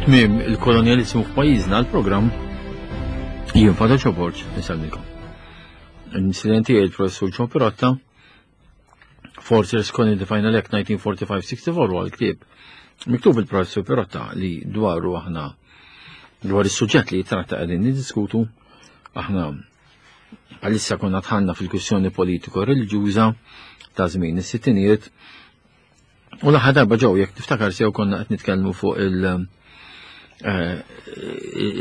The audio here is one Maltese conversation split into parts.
Tmiem il-kolonjalizmu f'pajjiżna l-programm jien Fadel Ċoborġ nisalmikom. L-incidenti il-professur John Pirotta Forces Colony the Final Act 1945-64 huwa l-ktieb miktub il-professur Pirotta li dwaru aħna dwar is-suġġett li jitratta qegħdin niddiskutu aħna għalissa konna tħanna fil-kwistjoni politiko reliġjuża ta' żmien is-sittinijiet u l-aħħar darba ġew jekk tiftakar sew konna qed nitkellmu fuq il- eh,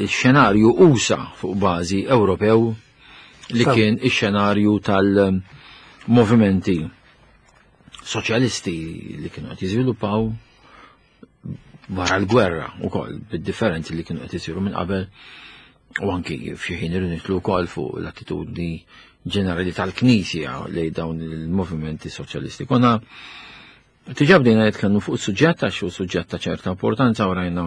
xenarju usa fuq bażi Ewropew li kien ix-xenarju tal-movimenti soċjalisti li kienu qed jiżviluppaw wara l-gwerra wkoll bid-differenzi li kienu qed isiru minn qabel u anki f'xi ħin irridu nitlu wkoll fuq l-attitudni ġenerali tal-Knisja lejn dawn il-movimenti soċjalisti. Konna diġà bdejna nitkellmu fuq suġġett għax hu suġġett ta' ċerta importanza u rajna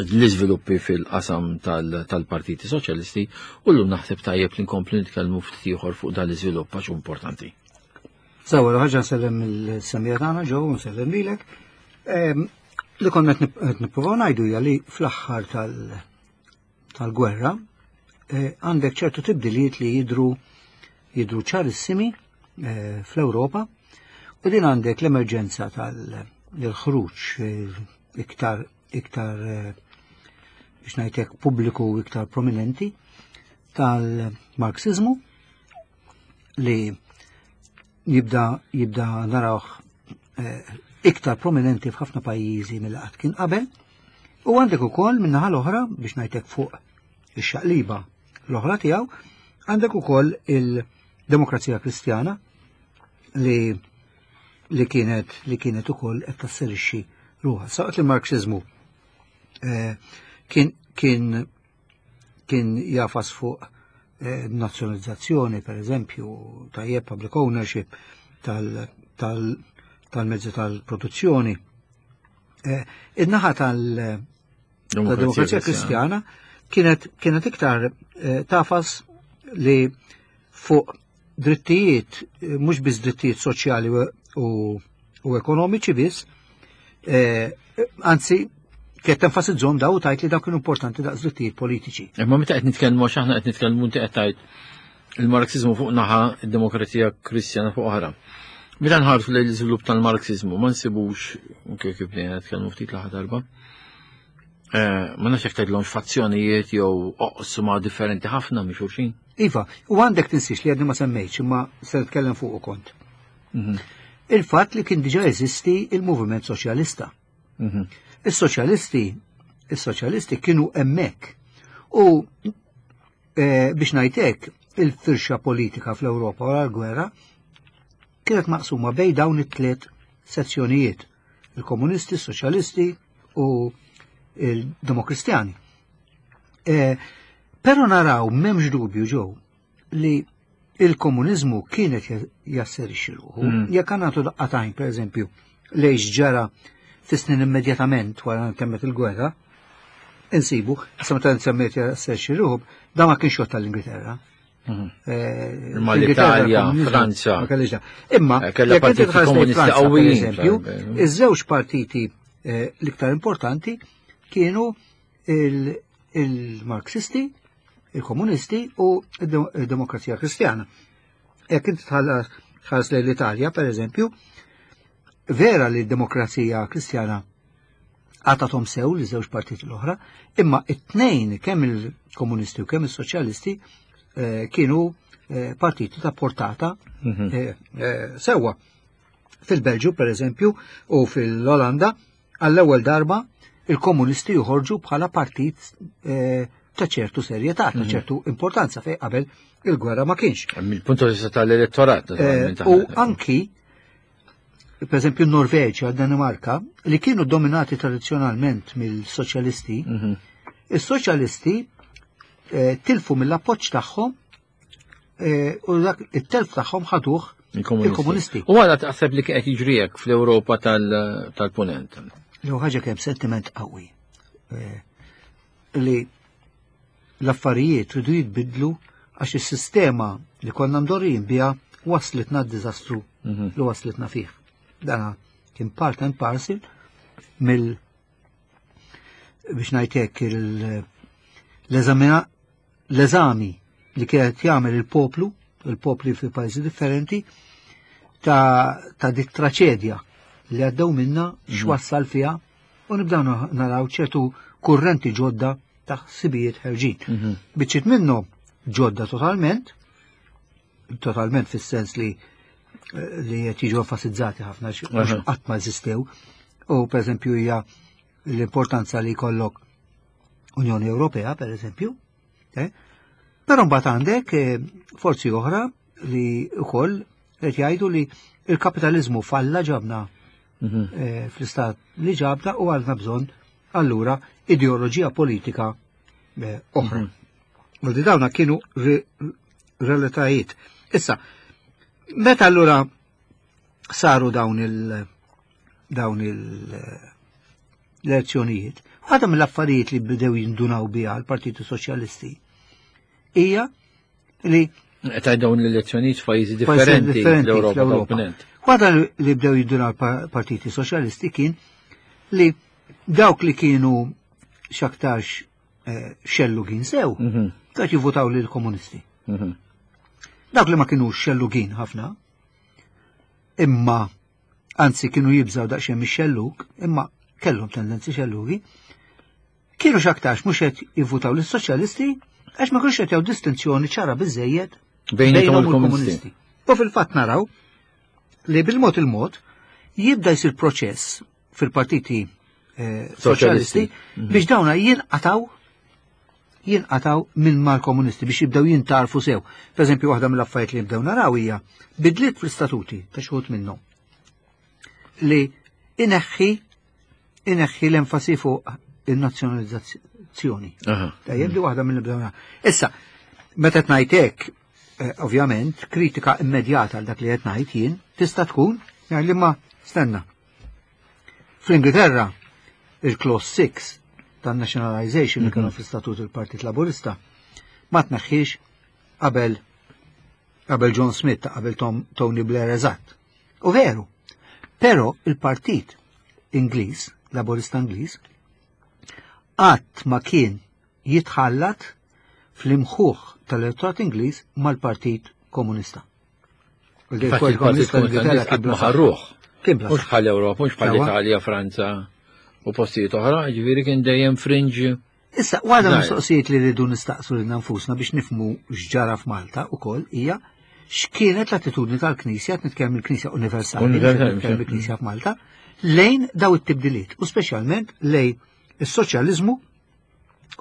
l-iżviluppi fil-qasam tal-partiti soċjalisti u llum naħseb tajjeb li nkomplu nitkellmu ftit ieħor fuq dan l-iżvilupp għax hu importanti. Sawa, ħaġa nsellem il-semija tagħna ġew nsellem lilek. Ehm, li konna qed nippruvaw ngħidu hija li fl-aħħar tal-gwerra eh, għandek ċertu tibdiliet li jidru jidru ċarissimi eh, fl-Ewropa u din għandek l-emerġenza tal-ħruġ eh, iktar iktar biex ngħidlek pubbliku iktar prominenti tal-Marxizmu li jibda jibda narawh eh, iktar prominenti f'ħafna pajjiżi mill qatt kien qabel. U għandek ukoll min-naħa l-oħra biex ngħidlek fuq ix-xaqliba l-oħra tiegħu, għandek ukoll il-Demokrazija Kristjana li li kienet li kienet ukoll qed tasserixxi ruħha. Saqt li marxiżmu eh, kien kien kien jafas fuq eh, nazzjonalizzazzjoni, per eżempju, tajjeb public ownership tal-mezzi tal-produzzjoni. Eh, in-naħa tal-demokrazija kristjana kienet kienet iktar eh, tafas li fuq drittijiet, mhux biss drittijiet soċjali u, u ekonomiċi biss, eh, anzi kienet tenfasizzhom daw tajt li daw kienu importanti daqs drittijiet politiċi. Imma meta qed nitkellmu għax aħna qed nitkellmu inti qed tgħid il-Marxizmu fuq naħa, id-demokrazija Kristjana fuq oħra. Meta nħarsu lejn l-iżvilupp tal-Marxizmu ma nsibux kif bdejna nitkellmu ftit l-aħħar darba. Eh, ma nafx jekk tgħidlhomx fazzjonijiet jew oqsma differenti ħafna minn xulxin. Iva, u għandek tinsiex li għadni ma semmejtx imma se nitkellem fuq kont. Mhm. Il-fatt li kien diġà jeżisti il-moviment soċjalista. Mhm. Is-soċjalisti, is-soċjalisti kienu hemmhekk. U eh, biex ngħidlek, il-firxa politika fl-Ewropa wara l-gwerra kienet maqsuma bej dawn it-tliet sezzjonijiet il-komunisti, soċjalisti u il-demokristjani. E, pero naraw memx dubju ġew li il-komunizmu kienet jasserixxi ruħu. Mm. Jekk għandna daqqatajn, per eżempju, lejx ġara fis-snin immedjatament wara temmet il-gwerra, insibu, issa meta nsemmiet jasserixxi ruħu, da ma kienx tal-Ingilterra. Mhm. Eh, Imma l-Italja, Franza. Imma, eh, kella partiti komunisti qawwijin. Eżempju, iż-żewġ partiti eh, l-iktar importanti kienu il-Marxisti, il-Komunisti u il-Demokrazija Kristjana. Jekk inti tħares lejn l-Italja, per eżempju, vera li d-Demokrazija Kristjana għatatom sew li żewġ partiti l-oħra, imma it-tnejn kemm il-komunisti u kemm il-soċjalisti eh, kienu eh, partiti ta' portata mhm. eh, sewwa. Fil-Belġu, per eżempju, u fil-Olanda, għall-ewwel darba il-komunisti joħorġu bħala partit ta' ċertu serjetà, ta' mhm. ċertu importanza fej qabel il-gwerra ma kienx. Mill-punt vista tal-elettorat. U anki per eżempju Norveġja, Danimarka, li kienu dominati tradizzjonalment mill-soċjalisti, mhm. is-soċjalisti eh, tilfu mill-appoġġ tagħhom eh, u dak it-telf tagħhom ħaduh il-komunisti. U għala taħseb li qed jiġri hekk fl-Ewropa tal-Punent? Jew ħaġa kemm sentiment qawwi eh, li L-affarijiet ridu jitbiddlu għax is-sistema li konna mdorrijin biha waslitna d-diżastru mhm. li waslitna fih. Dana kien part and parcel mill. biex ngħidlek l-eżami li kienet jagħmel il-poplu, il-popli fi pajjiżi differenti, ta', ta dik traċedja li għaddew minna x'wassal fiha u nibdew naraw ċertu kurrenti ġodda ta' ħsibijiet ħerġin. Biċċiet minnhom ġodda totalment, totalment fis-sens li li qed jiġu enfasizzati ħafna qatt ma eżistew. U pereżempju hija l-importanza li jkollok Unjoni Ewropea, pereżempju. Eh? Però mbagħad għandek eh, forzi oħra li wkoll qed jgħidu li il-kapitalizmu falla ġabna eh, fl-istat li ġabna u għandna bżonn allura ideoloġija politika oħra. U di dawna kienu realtajiet. Issa, meta allura saru dawn il dawn il l-elezzjonijiet, waħda mill-affarijiet li bdew jindunaw biha l-Partiti Soċjalisti hija li Qed dawn l-elezzjonijiet f'pajjiżi differenti fl-Ewropa. Waħda li bdew jindunaw l-Partiti Soċjalisti kien li dawk li kienu x'aktarx xellugin sew, dak jivvotaw lil komunisti. Dawk li ma kienu xellugin ħafna, imma anzi kienu jibżaw daqsxejn mix-xellug, imma kellhom tendenzi xellugi, kienu x'aktarx mhux qed jivvutaw lis-soċjalisti għax ma kienux qed jagħu distinzjoni ċara biżejjed bejniethom u l-komunisti. U fil-fatt naraw li bil-mod il-mod jibda jsir proċess fil-partiti soċjalisti biex dawna jinqataw jinqataw minn mal-komunisti biex jibdew jintarfu sew. Per eżempju, waħda mill-affarijiet li jibdew naraw hija bidliet fl-istatuti ta' xi minnhom li ineħħi ineħħi l-enfasi fuq il-nazzjonalizzazzjoni. Tajjeb li waħda mill-bdew naraw. Issa, meta qed ngħid hekk, ovvjament, kritika immedjata għal dak li qed ngħid jien tista' tkun li ma stenna. Fl-Ingilterra, il-Clause 6 tan-nationalization li kienu fl-istatut il-Partit Laburista ma tneħħiex qabel qabel John Smith ta' qabel Tony Blair eżatt. U veru, però il-Partit Ingliż, Laburista Ingliż, qatt ma kien jitħallat fl-imħuħ tal-elettorat Ingliż mal-Partit Komunista. Il-Partit Komunista qatt ma ħarruh. Mhux bħal Ewropa, mhux bħal Italja, Franza u postijiet oħra, ġifieri kien dejjem fringe. Issa, waħda mistoqsijiet li rridu nistaqsu lil nfusna biex nifhmu x'ġara f'Malta ukoll hija x'kienet l-attitudni tal-Knisja, qed nitkellem il-Knisja Universali, nitkellem il-Knisja f'Malta, lejn daw it-tibdiliet u speċjalment lejn is-soċjaliżmu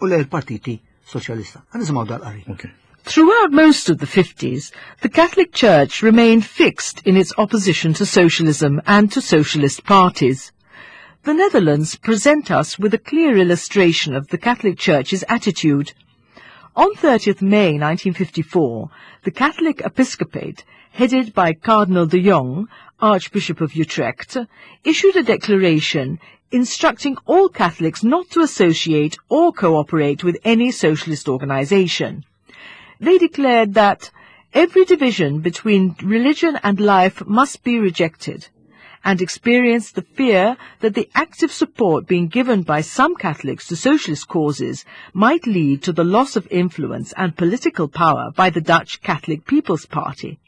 u lejn il-Partiti Soċjalista. Ħa nisimgħu dal-qari. Throughout most of the 50s, the Catholic Church remained fixed in its opposition to socialism and to socialist parties. The Netherlands present us with a clear illustration of the Catholic Church's attitude. On 30th May 1954, the Catholic Episcopate, headed by Cardinal de Jong, Archbishop of Utrecht, issued a declaration instructing all Catholics not to associate or cooperate with any socialist organization. They declared that every division between religion and life must be rejected, and experienced the fear that the active support being given by some Catholics to socialist causes might lead to the loss of influence and political power by the Dutch Catholic People's Party.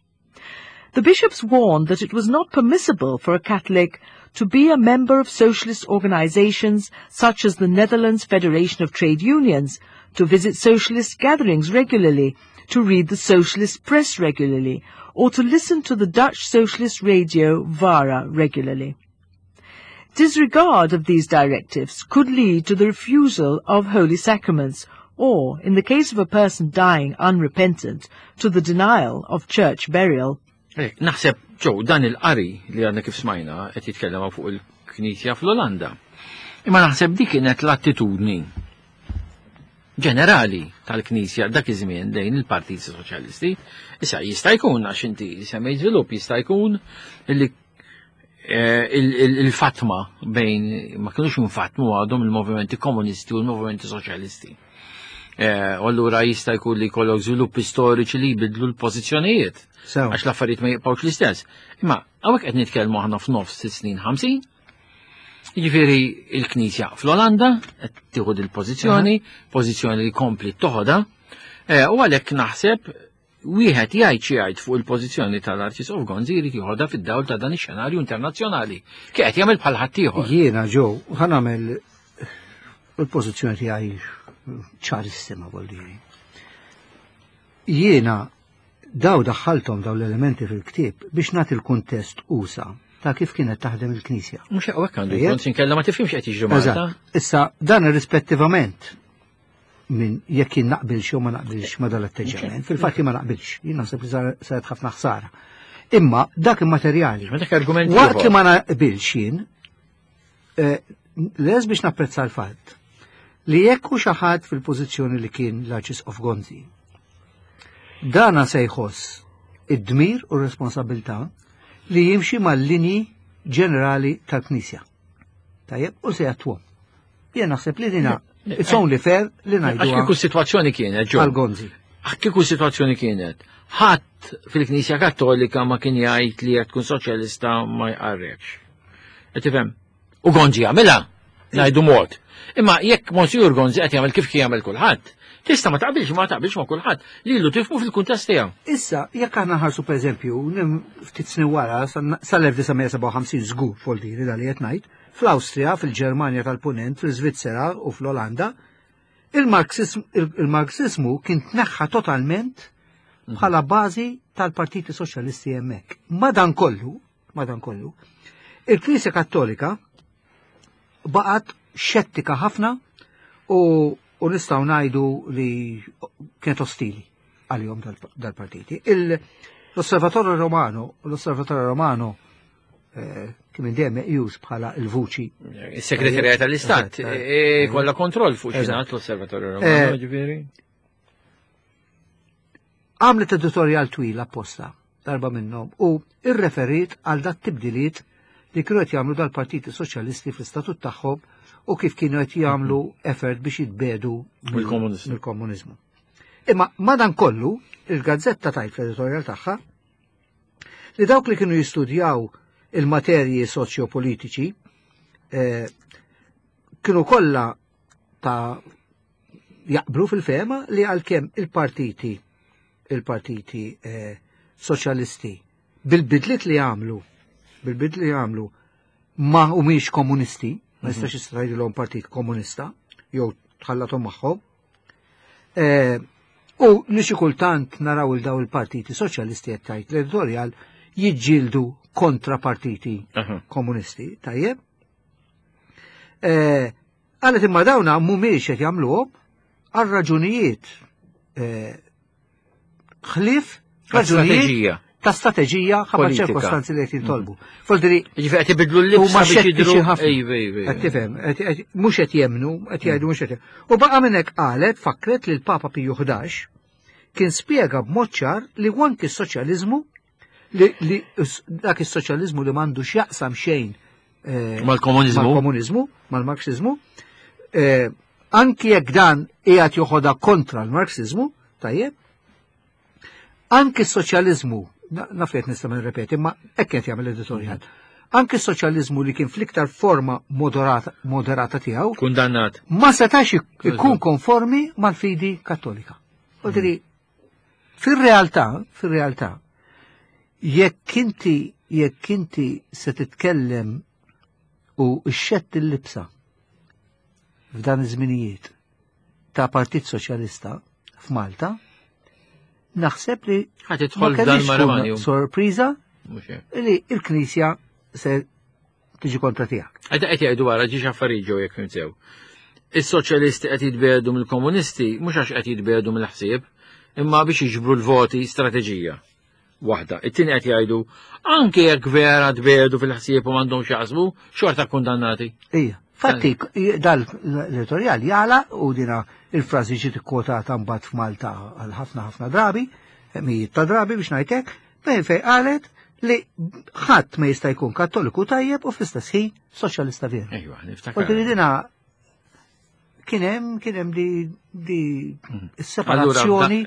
The bishops warned that it was not permissible for a Catholic to be a member of socialist organizations such as the Netherlands Federation of Trade Unions, to visit socialist gatherings regularly, to read the socialist press regularly, or to listen to the Dutch socialist radio VARA regularly. Disregard of these directives could lead to the refusal of holy sacraments, or, in the case of a person dying unrepentant, to the denial of church burial. Naħseb, ġew, dan il-qari li għadna kif smajna qed jitkellem fuq il-Knisja fl-Olanda. Imma naħseb dik kienet l-attitudni ġenerali tal-Knisja dak iż-żmien lejn il-Partit Soċjalisti. Issa jista' jkun għax inti semmejt żvilupp jista' jkun li il-fatma bejn ma kienux infatmu għadhom il-movimenti komunisti u l-movimenti soċjalisti. U allura jista' jkun li jkollok żviluppi storiċi li jbidlu l-pożizzjonijiet. Għax l-affarijiet ma jibqgħux l-istess. Imma hawnhekk qed nitkellmu aħna f'nofs snin 50. Jiġifieri il-Knisja fl-Olanda qed tieħu il-pożizzjoni, pożizzjoni li kompli toħodha, eh, u għalhekk naħseb wieħed jgħid xi jgħid fuq il-pożizzjoni tal-Arċisqof Gonzi jrid jieħodha fid-dawl ta' dan ix-xenarju internazzjonali. Kif qed jagħmel bħal ħaddieħor. Jiena ġew ħa nagħmel il-pożizzjoni tiegħi ċarissima voldiri. Jiena daw daħħalthom daw l-elementi fil-ktieb biex nagħti l-kuntest usa ta' kif kienet taħdem il-Knisja. Mhux hekk għandu jkun sinkella ma tifhimx qed jiġri Malta. Issa dan irrispettivament minn jekk jien naqbilx jew ma naqbilx ma dal-atteġġjament. Fil-fatt ma naqbilx, jien naħseb li saret ħafna ħsara. Imma dak immaterjali. Ma dak argument. Waqt li ma naqbilx jien, eh, les biex napprezza l-fatt li jekk hu xi ħadd fil-pożizzjoni li kien l-Arċisqof Gonzi. Dana se jħoss id-dmir u r-responsabilità li jimxi mal-linji ġenerali tal-Knisja. Tajjeb, u se jattwhom. Jien naħseb li dina it's only fair li ngħidu. Għax kieku situazzjoni kienet, ġo. Għal-Gonzi. Għax kieku situazzjoni kienet. Ħadd fil-Knisja Kattolika ma kien jgħid li jekk tkun soċjalista ma jqarrekx. Qed tifhem? U Gonzi jagħmilha, ngħidu mod. Imma jekk Monsijur Gonzi qed jagħmel kif kien jagħmel kulħadd, tista' ma taqbilx ma taqbilx ma' kulħadd, lilu tifhmu fil-kuntest tiegħu. Issa, jekk aħna nħarsu pereżempju, ftit snin wara, sal-1957 żgur foldiri dal qed ngħid, fl-Awstrija, fil-Ġermanja tal-Punent, fil-Svizzera u fl-Olanda, il-Marxismu kien tneħħa totalment bħala bażi tal-Partiti Soċjalisti hemmhekk. Madankollu, madankollu, il-Knisja Kattolika baqgħet xettika ħafna u, u nistgħu ngħidu li kienet ostili għalihom dal-partiti. L-Osservatorio Romano, l-Osservatorio Romano eh, kien minn dejjem meqjus bħala l-vuċi. Is-Segretarja tal-Istat eh, eh, kollha kontroll fuq xinat l-Osservatorju Romano, ġifieri. Għamlet editorial twil apposta darba minnhom u irreferiet għal dat tibdiliet li kienu qed jagħmlu dal-Partiti Soċjalisti fl-istatut tagħhom u kif kienu qed jagħmlu effort biex jitbedu mill-komuniżmu. Imma madan kollu, il-gazzetta tajt fl-editorial tagħha li dawk li kienu jistudjaw il-materji soċjopolitiċi eh, kienu kollha ta' jaqblu fil-fema li għalkemm il-partiti il-partiti eh, soċjalisti bil-bidliet li għamlu bil-bidliet li għamlu ma humiex komunisti, ma jistax jistajdilhom partit komunista jew tħallathom magħhom. Eh, u li xi kultant naraw il daw il-partiti soċjalisti qed tgħid l-editorjal jiġġieldu kontra partiti komunisti, tajjeb. Eh, Qalet imma dawna mhumiex qed jagħmluhom għal raġunijiet eh, ħlief raġunijiet ta' strateġija ħabba ċirkostanzi li qed jintolbu. Mm. Foldri. Ġifieri qed ibidlu l-libsa biex jidhru Qed tifhem, mhux qed jemnu, qed jgħidu mhux qed. U baqa' minn hekk qalet fakret li l-Papa Piju 11 kien spjega b'mod ċar li anki s-soċjaliżmu li dak is-soċjaliżmu li m'għandux jaqsam xejn eh, mal-komuniżmu, mal-komuniżmu, mal-marxiżmu, eh, anki jekk dan qiegħed joħodha kontra l-marxiżmu, tajjeb, anki s-soċjaliżmu, naf li qed nista' nirrepeti, ma hekk qed jagħmel editorjal. Anki s-soċjaliżmu li kien fl-iktar forma moderata, moderata tiegħu, kundannat, ma setax ikun konformi mal-fidi kattolika. Mm. Fir-realtà, fir-realtà, jekk inti jekk inti se titkellem u xxett il-libsa f'dan iż-żminijiet ta' Partit Soċjalista f'Malta, naħseb li ma kellix sorpriża li l-Knisja se tiġi kontra tiegħek. Qed qed jgħidu wara ġiex affarijiet ġew jekk fimsew. Is-soċjalisti qed jitbedu mill-komunisti mhux għax qed jitbedu mill-ħsieb, imma biex jiġbru l-voti strateġija waħda. It-tieni qed jgħidu anke jekk vera tbedu fil-ħsieb u m'għandhomx jaħsbu, xorta kundannati. Ija. Fatti, dal l-editorial jala u dina il-frażi ġiet ikkwotata mbagħad f'Malta għal ħafna ħafna drabi, mijiet ta' drabi biex ngħidlek, Fejn fej qalet li ħadd ma jista' jkun kattoliku tajjeb u fl-istess ħin soċjalista veru. Ejwa, niftakar. U dina kien hemm kien hemm di, di mm. separazzjoni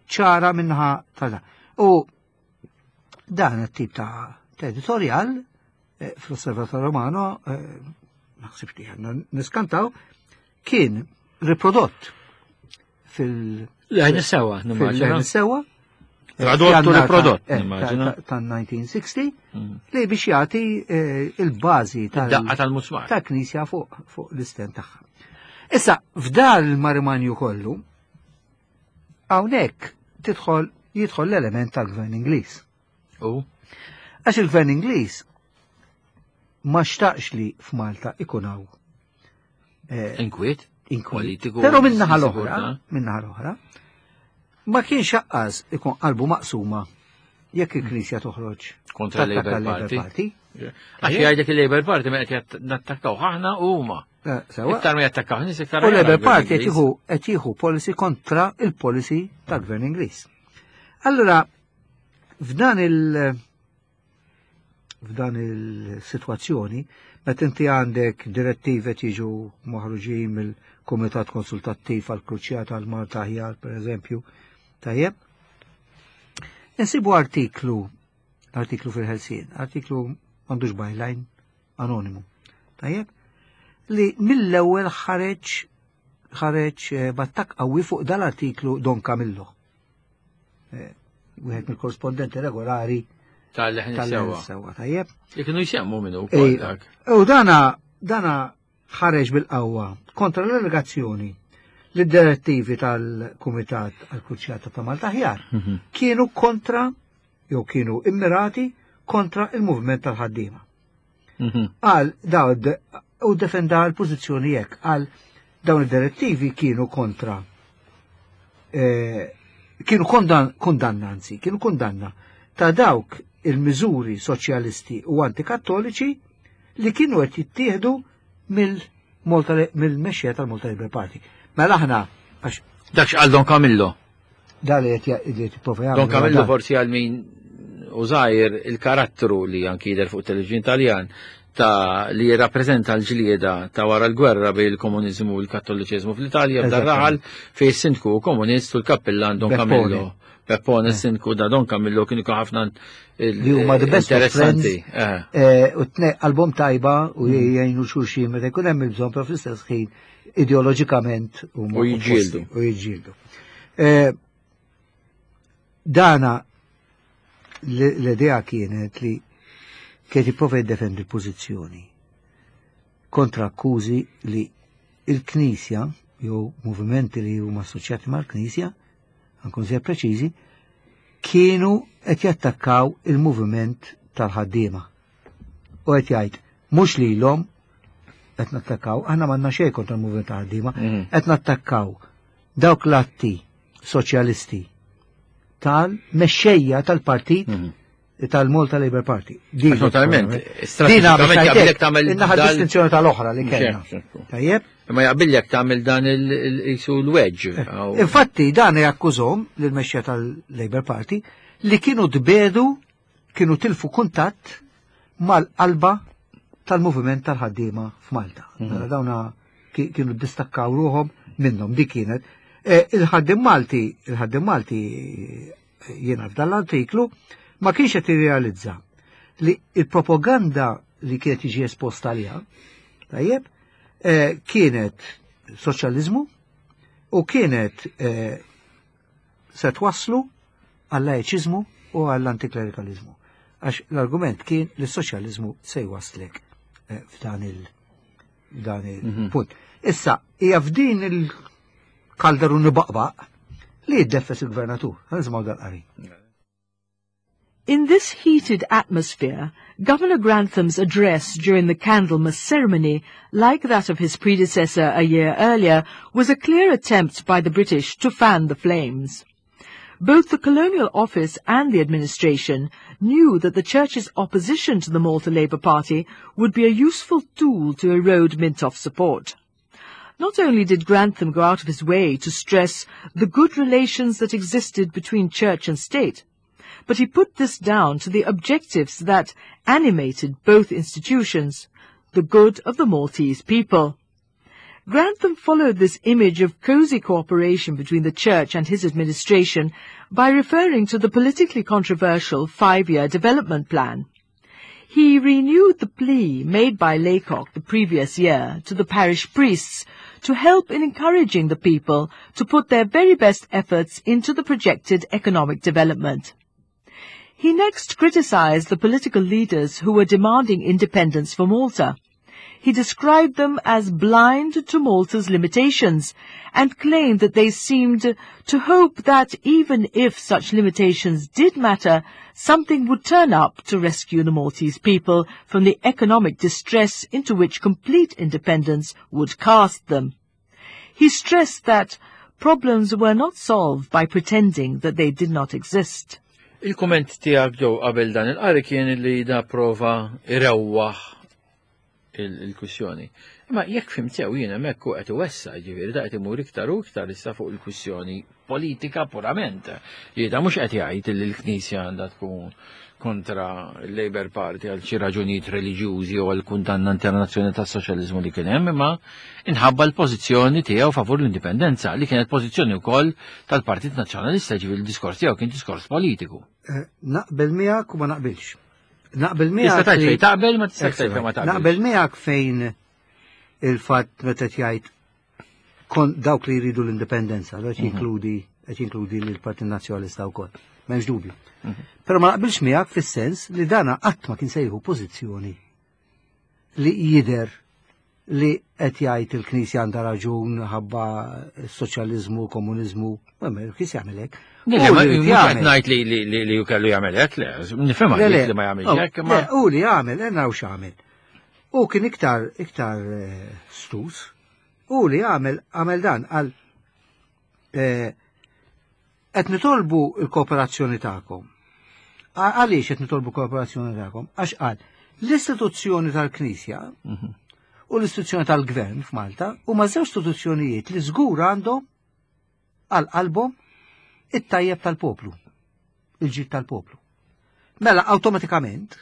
ċara minnaħa ta' U dan it-tip ta' editorial eh, fl-Osservator Romano eh, Naħsibx li għandna niskantaw, kien riprodott fil- Leħen is-sewwa, nimmaġina. Fil-leħen is-sewwa. Tradottu riprodott, eh, nimmaġina. Tan-1960 li biex jagħti eh, il-bażi tal-daqqa tal-musmar. Ta' knisja fuq l-isten tagħha. Issa, f'dar il-marimanju kollu, hawnhekk tidħol jidħol l-element tal-gvern Ingliż. U? Għax il-gvern Ingliż ma xtaqx li f'Malta ikun hawn. Eh, inkwiet? Inkwiet. Però minnaħa l-oħra, minnaħa l-oħra, ma kienx aqqas ikun qalbu maqsuma jekk il-Knisja toħroġ kontra l-Labour Party. Għax jgħidlek il-Labour Party ma qed nattakkaw aħna u huma. Eh, iktar ma jattakkaw nies iktar. U Labour Party qed jieħu policy kontra il-policy tal-Gvern Ingliż. Allura, f'dan il- f'dan il-sitwazzjoni, meta inti għandek direttivi qed jiġu maħruġin mill-Kumitat Konsultattiv għal Kruċjata għal Malta Aħjar, per eżempju, tajjeb. Insibu artiklu, artiklu fil-Ħelsien, artiklu m'għandux byline, anonimu, tajjeb, li mill-ewwel ħareġ ħareġ eh, battak qawwi fuq dal-artiklu Don Camillo. Eh, wieħed mill-korrispondenti regolari tal-leħen sewa. Sewa, tajjeb. Li kienu jsemmu minnu wkoll dak. U dana dana ħareġ bil-qawwa kontra l-allegazzjoni li d-direttivi tal-Kumitat għal-Kruċjata ta' Malta Ħjar mhm. kienu kontra jew kienu immirati kontra il-movement tal-ħaddiema. Mhm. Għal daw u defenda l-pożizzjoni jekk għal dawn id-direttivi kienu kontra eh, kienu kondanna anzi, kienu kondanna ta' dawk il-miżuri soċjalisti u antikattoliċi li kienu qed jittieħdu mill-mexxija tal-Malta Labour Party. Mela aħna għax Dak x'qal Don Camillo. Da li qed jipprova Don Camillo forsi għal min użajr il-karattru li anki jidher fuq television Taljan ta' li jirrappreżenta l-ġlieda ta' wara l-gwerra bejn il-komuniżmu u l-kattoliċiżmu fl-Italja f'dar raħal fejn is-sindku komunist u l-kappillan Don Camillo. Peppone eh. sindku da Don Camillo kienu ħafna li huma the best interessanti. Eh. Eh, u tnej album tajba u mm. jgħinu xulxin meta jkun hemm il-bżonn però fl-istess ħin ideoloġikament u jiġġieldu. U jiġġieldu. Dana l-idea kienet li kienet jipprova jiddefendi l-pożizzjoni kontra akkużi li il-Knisja jew movimenti li huma assoċjati mal-Knisja, ankun żjed preċiżi, kienu qed jattakkaw il-moviment tal-ħaddiema. U qed jgħid mhux lilhom qed nattakkaw, aħna m'għandna xejn kontra l-moviment tal-ħaddiema, mhm. qed nattakkaw dawk l-atti soċjalisti tal-mexxejja tal-partit mhm. tal-Malta Labour Party. Totalment. Dina jaqbillek tagħmel innaħa distinzjoni tal-oħra li kellna. Tajjeb? Ma jaqbillek tagħmel dan il-isu l-wedge. Eh, infatti dan jakkużhom lill-mexxejja tal-Labour Party li kienu tbedu kienu tilfu kuntatt mal-qalba tal-moviment tal-ħaddiema f'Malta. Mhm. Mela dawna kienu distakkaw ruhom minnhom dik kienet. E, il-ħaddim Malti, il-ħaddim Malti e, jiena f'dan l-artiklu ma kienx qed jirrealizza li il-propaganda li kienet tiġi esposta għaliha, tajjeb, e, kienet soċjaliżmu u kienet se twasslu għal-lajċiżmu u għall-antiklerikaliżmu. Għax l-argument kien li s-soċjaliżmu se jwasslek eh, f'dan il- dan il-punt. Mhm. Issa, hija f'din il-kalderu nibaqbaq li jiddeffes il-gvernatur. Għan dal-qari. In this heated atmosphere, Governor Grantham's address during the Candlemas ceremony, like that of his predecessor a year earlier, was a clear attempt by the British to fan the flames. Both the Colonial Office and the administration knew that the Church's opposition to the Malta Labour Party would be a useful tool to erode Mintoff's support. Not only did Grantham go out of his way to stress the good relations that existed between church and state, but he put this down to the objectives that animated both institutions, the good of the Maltese people. Grantham followed this image of cozy cooperation between the church and his administration by referring to the politically controversial five-year development plan. He renewed the plea made by Laycock the previous year to the parish priests to help in encouraging the people to put their very best efforts into the projected economic development. He next criticized the political leaders who were demanding independence for Malta. He described them as blind to Malta's limitations and claimed that they seemed to hope that even if such limitations did matter, something would turn up to rescue the Maltese people from the economic distress into which complete independence would cast them. He stressed that problems were not solved by pretending that they did not exist. Il-kumment tiegħek ġew qabel dan il-qari kien li da prova irewwaħ il-kwissjoni. Imma jekk fhimt sew jien hemmhekk hu qed iwessa, ġifieri da qed imur iktar u iktar issa fuq il-kwissjoni politika purament. Jieda mhux qed jgħid li l-Knisja għandha tkun kontra l-Labour Party għal xi raġunijiet reliġjużi u għal kundanna internazzjonali tas-soċjaliżmu li kien hemm, imma inħabba l-pożizzjoni tiegħu favur l-indipendenza li kienet pożizzjoni wkoll tal-Partit Nazzjonalista, ġifieri l-diskors tiegħu kien diskors politiku. Eh, naqbel miegħek u ma naqbilx. Naqbel miegħek. Tista' tgħid fejn taqbel ma tistax tgħid fejn ma taqbel. Naqbel miegħek fejn il-fatt meta jgħid kon dawk li jridu l-indipendenza, qed mhm. jinkludi qed jinkludi l-Partit Nazzjonalista wkoll. M'hemmx dubju. Mhm. Però ma naqbilx miegħek fis-sens li dana qatt ma kien sejħu pożizzjoni li jidher li qed jgħid il-Knisja għandha raġun ħabba s-soċjaliżmu, komuniżmu, ma il-Knisja jagħmel hekk. Le, ma qed ngħid li li li kellu jagħmel hekk, le, nifhem li ma jagħmilx oh, hekk, ma. U li jagħmel, naraw x'għamel. U kien iktar iktar eh, stus, u li għamel għamel dan għal eh, qed nitolbu l-kooperazzjoni tagħkom. Għaliex qed nitolbu kooperazzjoni tagħkom? Għax qal l-istituzzjoni tal-Knisja mhm. u l-istituzzjoni tal-Gvern f'Malta huma żewġ istituzzjonijiet li żgur għandhom għal qalbhom it-tajjeb tal-poplu, il-ġid tal-poplu. Mela awtomatikament,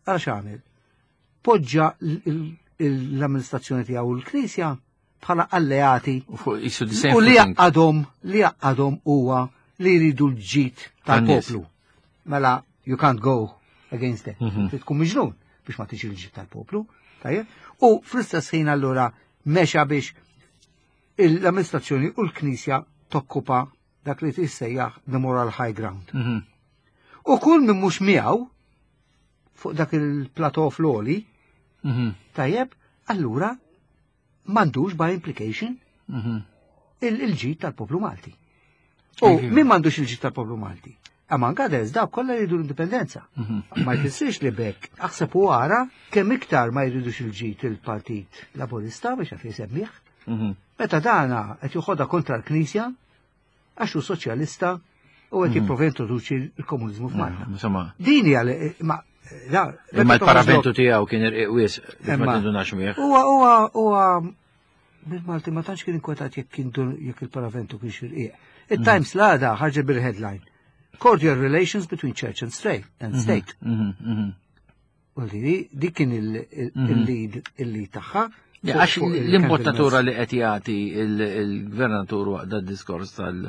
għal x'għamel? Poġġa l-amministrazzjoni tiegħu l-Knisja bħala alleati u li jaqadhom li jaqadhom huwa li jridu l-ġid tal-poplu. Mela you can't go against it. Mhm. Trid tkun miġnun biex ma tiġi l-ġid tal-poplu. Tajjeb? U fl-istess ħin allura mexa biex l-amministrazzjoni u l-Knisja tokkupa dak li tissejjaħ the moral high ground. Mhm. U kull min mhux miegħu fuq dak il-plateau floli, mhm. tajjeb, allura m'għandux by implication mhm. il-ġid tal-poplu Malti. U min m'għandux il-ġid tal-poplu Malti? Among others, dawk kollha jridu l-indipendenza. Mhm. Ma jfissirx li bekk aħseb u ara kemm iktar ma jridux il-ġid il-Partit Laburista biex għaf jisemmih. Mhm. Meta dana qed joħodha kontra l-Knisja għax hu soċjalista u qed mhm. jipprova jintroduċi l-komuniżmu f'Malta. Insomma. Din hija ma Imma l-paraventu tiegħu kien irqiq wisq biex ma tindunax miegħek. Huwa huwa huwa bil-Malti ma tantx kien inkwetat jekk kien jekk il-paraventu kien xirqiq. Il-Times mhm. l-għada ħarġet bil-headline. Cordial relations between church and state. And mhm, state. U li dik kien il-lead il-lead tagħha. Għax l-imbottatura li qed jagħti il-gvernatur waqt dad-diskors tal-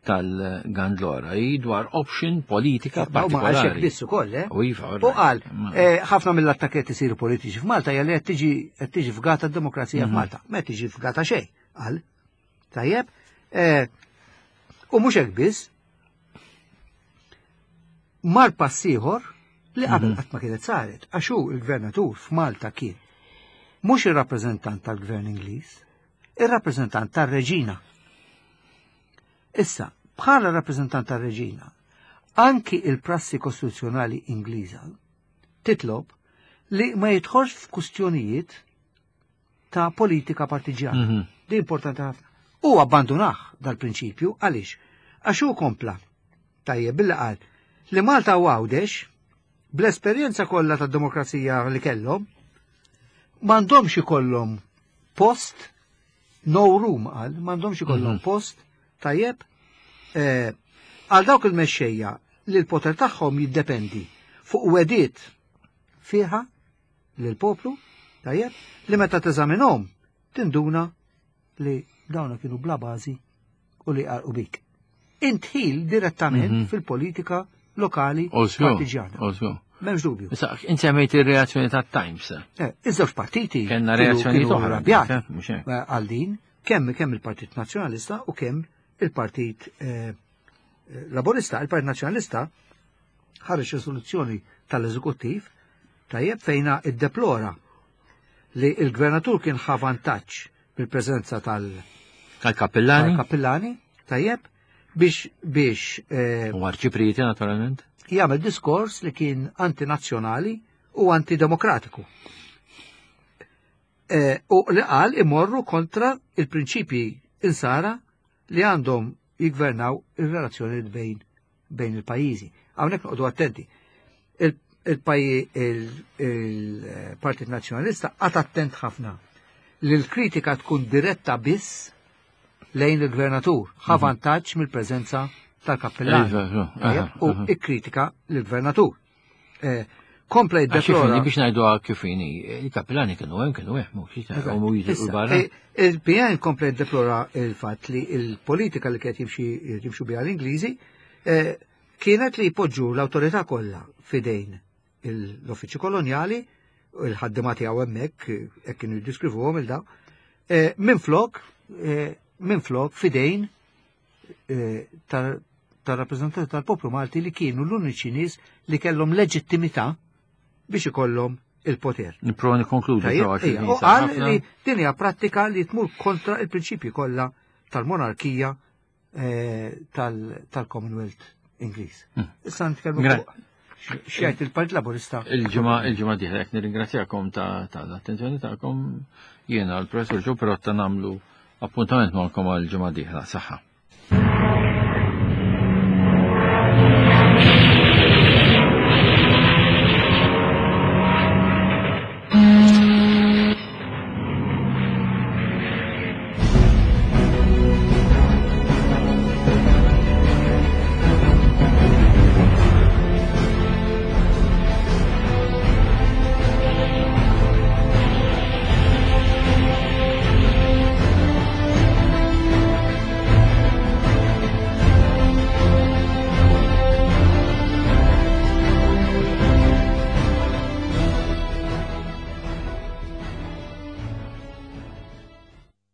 tal-Gandlora hi dwar option politika partikolari. Ma għax biss ukoll, eh? U iva, U qal, eh, ħafna mill-attakketti isiru politiċi f'Malta hija li qed tiġi qed tiġi fgata d-demokrazija mhm. f'Malta. Ma qed tiġi fgata xejn, qal. Tajjeb? Eh, u mhux hekk biss, mar pass ieħor li qabel mhm. qatt ma kienet saret, għax hu il-gvernatur f'Malta kien mhux ir-rappreżentant tal-gvern Ingliż, ir-rappreżentant tar-reġina. Issa, bħala rappreżentant tar-reġina, anki il-prassi kostituzzjonali Ingliża titlob li ma jidħolx f'kustjonijiet ta' politika partiġjana. Mm -hmm. Di importanti ħafna. U abbandunah dal-prinċipju għaliex? Għax hu kompla tajjeb billi qal li Malta u Għawdex bl-esperjenza kollha tad-demokrazija li kellhom m'għandhomx ikollhom post no room qal, m'għandhomx ikollhom mhm. post tajjeb eh, għal dawk il-mexxejja li l-poter tagħhom jiddependi fuq wediet fiha lill-poplu, tajjeb, li meta teżaminhom tinduna li dawna kienu bla bażi u li qarqu bik. Intħil direttament mhm. fil-politika lokali partiġjana. M'hemmx dubju. Issa, inti semmejt ir-reazzjoni tat-Times. Eh, iż-żewġ partiti Kellna reazzjoni oħra, mhux hekk. Eh, għal din, kemm kemm il-Partit Nazzjonalista u kemm il-Partit eh, Laburista. Il-Partit Nazzjonalista ħareġ risoluzzjoni tal-Eżekuttiv tajjeb fejna iddeplora li il-gvernatur kien ħa vantaġġ bil-preżenza tal- Tal-kappillani. Tal-kappillani, tajjeb, biex biex eh, U arċiprieti naturalment. Jagħmel diskors li kien antinazzjonali u antidemokratiku. Eh, u li qal imorru kontra il-prinċipji insara li għandhom jigvernaw il-relazzjoni bejn bejn il-pajjiżi. Hawnhekk noqogħdu attenti. Il-Partit Nazzjonalista qagħad attent ħafna li l-kritika tkun diretta biss lejn il-gvernatur, ħa mhm. vantaġġ mill-preżenza tal-kappellan. Iva, u ikkritika l-gvernatur. Eh, kompla jiddeplora. Biex ngħidu kif inhi, il-kappellani kienu hemm kienu hemm, mhux barra. Eh, il-PN kompla jiddeplora il-fatt li il-politika li kienet jimxu biha l-Ingliżi eh, kienet li jpoġġu l-awtorità kollha fidejn l-uffiċċju kolonjali, il-ħaddima tiegħu hemmhekk, hekk kienu jiddeskrivuhom il-daw, eh, minflok minflok fidejn Eh, tar-rappreżentanti tal-poplu Malti li kienu l-uniċi nies li kellhom leġittimità biex ikollhom il-poter. Nipprova nikkonkludi. U qal li din hija prattika li tmur kontra il-prinċipji kollha tal-monarkija eh, tal-Commonwealth Ingliż. Hmm. Issa nitkellmu x'jgħid il-Partit Laburista. Il-ġimgħa il-ġimgħa dieħla jekk nirringrazzjakom ta' l-attenzjoni tagħkom jiena l-Professur Ġo Perotta nagħmlu appuntament magħkom għal ġimgħa dieħla. Saħħa.